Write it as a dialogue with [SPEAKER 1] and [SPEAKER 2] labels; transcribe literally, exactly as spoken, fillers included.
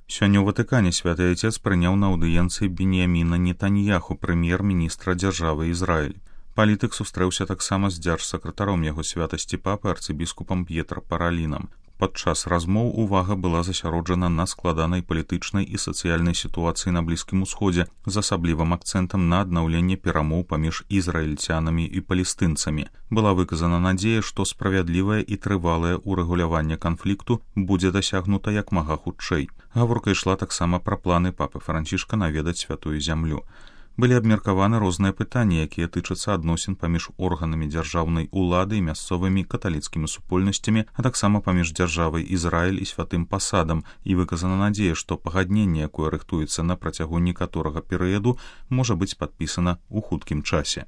[SPEAKER 1] Сёння ў Ватыкане святы Отец прыняў на аўдыенцыі Беньяміна Нетаньяху, прэм'ер-міністра дзяржавы Ізраіль. Палітык сустрэўся таксама з дзяржсакратаром яго святасці папы арцыбіскупам П'етра Паралінам. Падчас размоў увага была засяроджана на складанай палітычнай і сацыяльнай сітуацыі на Блізкім Усходзе з асаблівым акцэнтам на аднаўленне перамоў паміж ізраільцянамі і палестынцамі. Была выказана надзея, што справядлівае і трывалае ўрэгуляванне канфлікту будзе дасягнута як мага хутчэй. Гаворка ішла таксама пра планы папы Францішка наведаць святую зямлю. Былі абмеркаваны розныя пытанні, якія тычацца адносін паміж органамі дзяржаўнай улады і мясцовымі каталіцкімі супольнасцямі, а таксама паміж дзяржавай Ізраіль і святым пасадам, і выказана надзея, што пагадненне, якое рыхтуецца на працягу некаторага перыяду, можа быць падпісана ў хуткім часе.